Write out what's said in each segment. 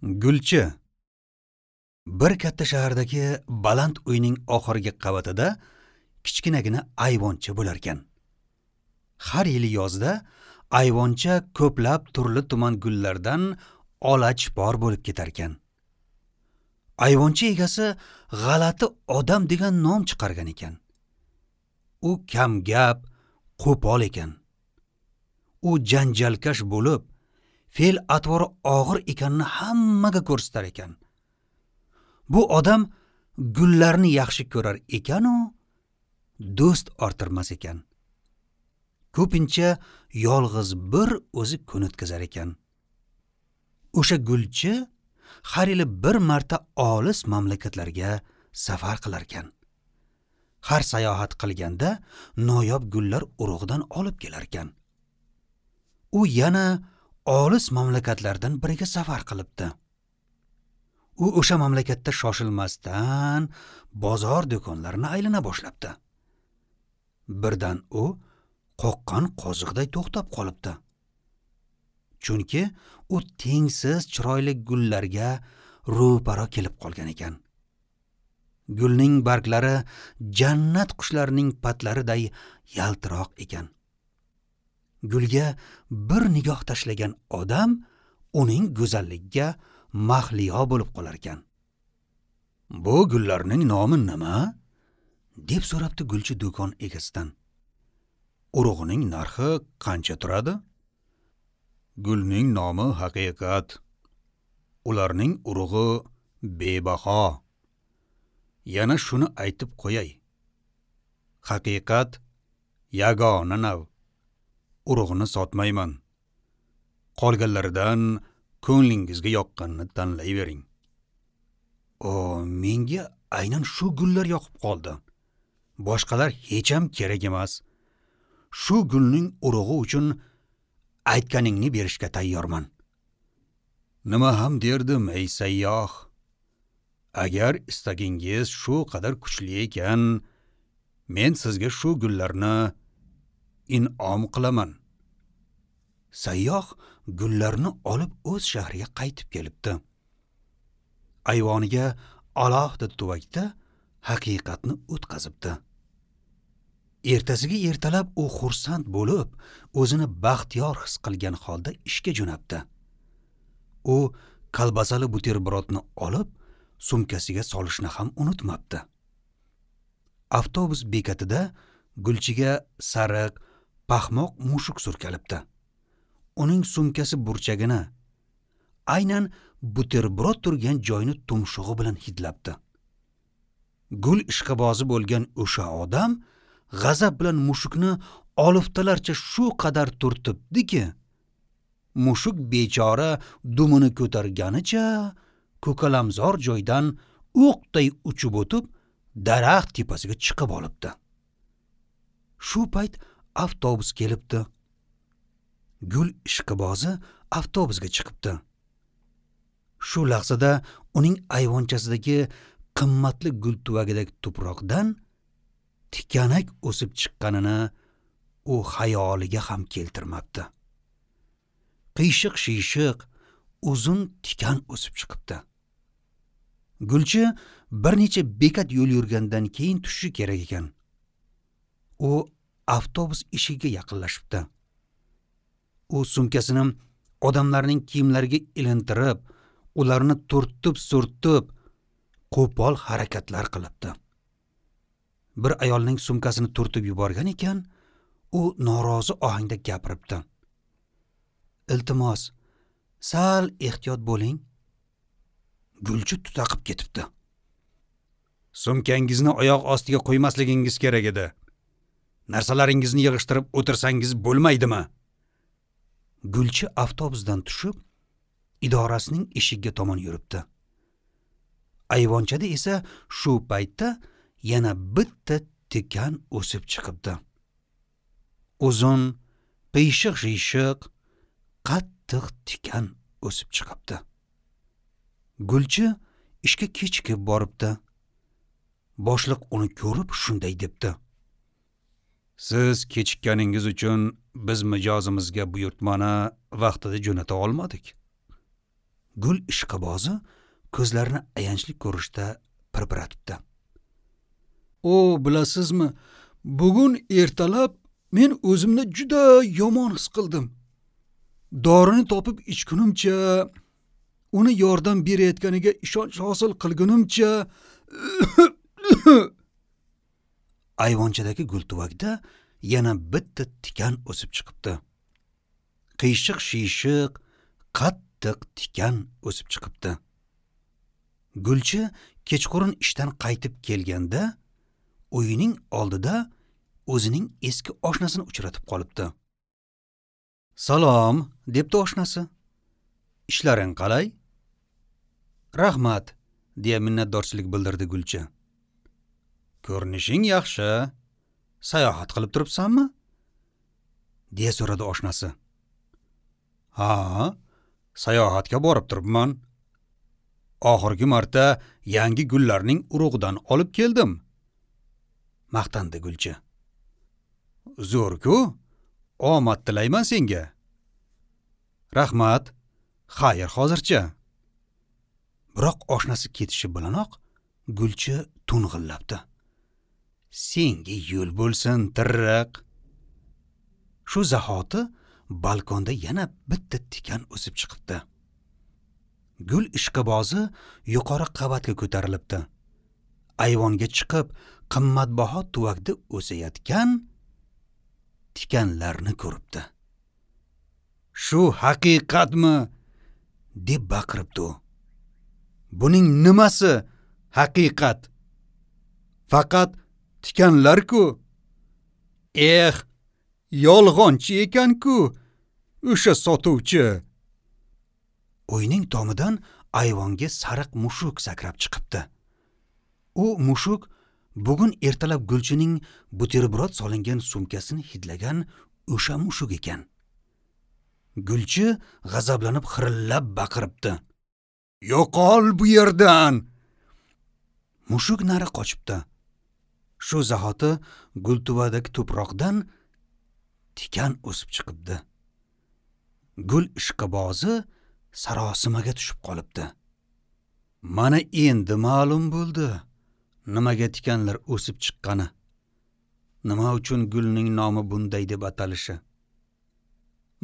Gulchi. Bir katta shahardagi baland uyning oxirgi qavatida kichkinagina ayvoncha bo'larkan. Har yili yozda ayvoncha ko'plab turli tuman gullardan olachpor bo'lib ketarkan. Ayvoncha egasi g'alati odam degan nom chiqargan ekan. U kamgap, qo'pol ekan. U janjalkash bo'lib, fe'l atvori og'ir ekanini hammaga ko'rsatar ekan. Bu odam gullarni yaxshi ko'rar ekan-u, do'st orttirmas ekan. Ko'pincha yolg'iz bir o'zi kun o'tkazar ekan. O'sha gulchi har yili bir marta olis mamlakatlarga safar qilar ekan. Har sayohat qilganda noyob gullar urug'idan olib kelar ekan. U yana olis mamlakatlardan biriga safar qilibdi. U o'sha mamlakatda shoshilmasdan bozor do'konlarini aylana boshlabdi. Birdan u qoqqan qoziqday to'xtab qolibdi. Chunki u tengsiz chiroyli gullarga ro'para kelib qolgan ekan. Gulning barglari jannat qushlarining patlariday yaltiroq ekan. Gulga bir nigoh tashlagan odam uning go'zalligiga mahliyo bo'lib qolar ekan. "Bu gullarning nomi nima?" deb so'rabdi gulchi do'kon egasidan. "Urug'ining narxi qancha turadi?" "Gulning nomi haqiqat. Ularning urug'i bebaho. Yana shuni aytib qo'yay. Haqiqat yagona nav. Urug'ini sotmayman. Qolganlaridan ko'nglingizga yoqqanini tanlayvering." "O, menga aynan shu gullar yoqib qoldi. Boshqalar hech ham kerak emas. Shu gulning urug'i uchun aytganingni berishga tayyorman." "Nima ham derdim, ey sayyoh? Agar istagingiz shu qadar kuchli ekan, men sizga shu gullarni in'om qilaman." Sayyoh gullarni olib o'z shahriga qaytib kelibdi. Ayvoniga alohida tuvakda haqiqatni o'tkazibdi. Ertasiga ertalab u xursand bo'lib, o'zini baxtiyor his qilgan holda ishga jo'nabdi. U kolbasali buterbrotni olib, sumkasiga solishni ham unutmabdi. Avtobus bekatida gulchiga sariq, paxmoq mushuk surkalibdi. Uning sumkasi burchagini, aynan buterbrot turgan joyni tumshug'i bilan hidlabdi. Gul ishqibozi bo'lgan o'sha odam g'azab bilan mushukni oliftalarcha shu qadar turtibdiki, mushuk bechora dumini ko'targanicha ko'kalamzor joydan o'qday uchib o'tib, daraxt tepasiga chiqib olibdi. Shu payt avtobus kelibdi. Gul ishqibozi avtobusga chiqibdi. Shu lahzada uning ayvonchasidagi qimmatli gul tuvagidagi tuproqdan tikanak o'sib chiqqanini u xayoliga ham keltirmabdi. Qiyshiq-shiyshiq uzun tikan o'sib chiqibdi. Gulchi bir necha bekat yo'l yurgandan keyin tushishi kerak ekan. U avtobus eshigiga yaqinlashibdi. U sumkasini odamlarning kiyimlariga ilintirib, ularni turtib-surtib, qo'pol harakatlar qilibdi. Bir ayolning sumkasini turtib yuborgan ekan, u norozi ohangda gapiribdi. "Iltimos, sal ehtiyot bo'ling." Gulchi tutaqib ketibdi. "Sumkangizni oyoq ostiga qo'ymasligingiz kerak edi. Narsalaringizni yig'ishtirib o'tirsangiz bo'lmaydimi?" Gulchi avtobusdan tushib, idorasining eshigiga tomon yuribdi. Ayvonchada esa shu paytda yana bitta tikan o'sib chiqibdi. Uzun, qiyshiq-shiyshiq, qattiq tikan o'sib chiqibdi. Gulchi ishga kechikib boribdi. Boshliq uni ko'rib shunday debdi: "Siz kechikkaningiz uchun biz mijozimizga buyurtmani vaqtida jo'nata olmadik. Gul ishqibozi ko'zlarini ayanchli ko'rishda pirpiratibdi. O, bilasizmi, bugun ertalab men o'zimni juda yomon his qildim. Dorini topib ichgunimcha, uni yordam berayotganiga ishonch hosil qilgunimcha ayvonchadagi gultuvakda yana bitta tikan o'sib chiqibdi. Qiyshiq-shiyshiq, qattiq tikan o'sib chiqibdi. Gulchi kechqurun ishdan qaytib kelganda uyining oldida o'zining eski oshnasini uchratib qolibdi. "Salom", debdi oshnasi. "Ishlaring qalay?" "Rahmat", deya minnatdorchilik bildirdi Gulchi. "Ko'rinishing yaxshi. Sayohat qilib turibsanmi?" deya so'radi oshnasi. "Ha, sayohatga borib turibman. Oxirgi marta yangi gullarning urug'idan olib keldim", maqtandi Gulchi. "Zo'r-ku, omad tilayman senga." "Rahmat, xayr hozircha." Biroq oshnasi ketishi bilanoq Gulchi to'ng'illabdi. "Senga yo'l bo'lsin, tirriq." Shu zahoti balkonda yana bitta tikan o'sib chiqibdi. Gul ishqibozi yuqori qavatga ko'tarilibdi. Ayvonga chiqib, qimmatbaho tuvakda o'sayotgan tikanlarni ko'ribdi. "Shu haqiqatmi?" deb baqiribdi u. "Buning nimasi haqiqat? Faqat tikanlar-ku. Eh, yolg'onchi ekan-ku o'sha sotuvchi." Uyning tomidan ayvonga sariq mushuk sakrab chiqibdi. U mushuk bugun ertalab Gulchining buterbrod solingan sumkasini hidlagan o'sha mushuk ekan. Gulchi g'azablanib xirillab baqiribdi. "Yo'qol bu yerdan!" Mushuk nari qochibdi. Shu zahoti gultuvadagi tuproqdan tikan o'sib chiqibdi. Gul ishqibozi sarosimaga tushib qolibdi. Mana endi ma'lum bo'ldi nimaga tikanlar o'sib chiqqani, nima uchun gulning nomi bunday deb atalishi.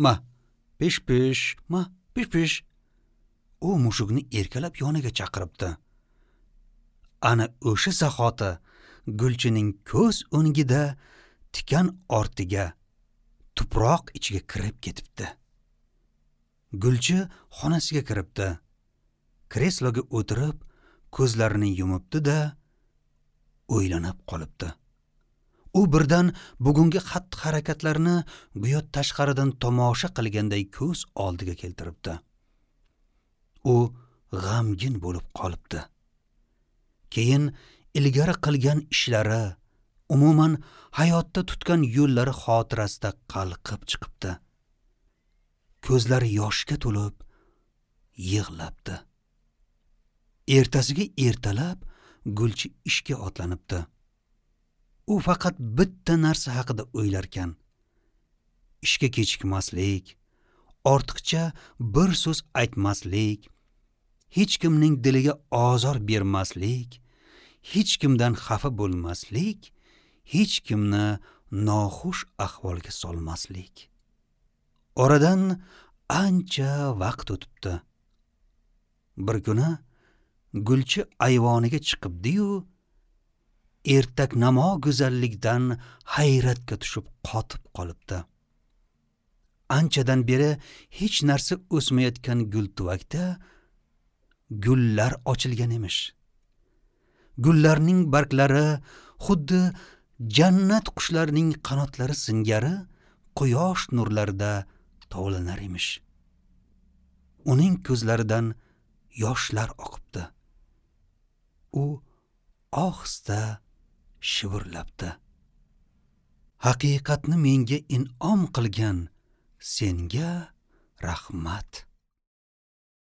Ma, pish-pish, ma, pish-pish. U mushukni erkalab yoniga chaqiribdi. Ana o'sha zahoti Gulchining ko'z o'ngida tikan ortiga, tuproq ichiga kirib ketibdi. Gulchi xonasiga kiribdi. Kresloga o'tirib, ko'zlarini yumibdi-da, o'ylanib qolibdi. U birdan bugungi xatti-harakatlarni go'yo tashqaridan tomosha qilganday ko'z oldiga keltiribdi. U g'amgin bo'lib qolibdi. Keyin ilgari qilgan ishlari, umuman hayotda tutgan yo'llari xotirasida qalqib chiqibdi. Ko'zlari yoshga to'lib yig'labdi. Ertasiga ertalab Gulchi ishga otlanibdi. U faqat bitta narsa haqida o'ylarkan. Ishga kechikmaslik, ortiqcha bir so'z aytmaslik, hech kimning diliga ozor bermaslik, hech kimdan xafa bo'lmaslik, hech kimni noxush ahvolga solmaslik. Oradan ancha vaqt o'tibdi. Bir kuni Gulchi ayvoniga chiqibdi-yu, ertaknamo go'zallikdan hayratga tushib qotib qolibdi. Anchadan beri hech narsa o'smayotgan gultuvakda gullar ochilgan emish. Gullarning barglari xuddi jannat qushlarining qanotlari singari quyosh nurlarida tovlanar emish. Uning ko'zlaridan yoshlar oqibdi. U ohista shivirlabdi. Haqiqatni menga in'om qilgan senga rahmat.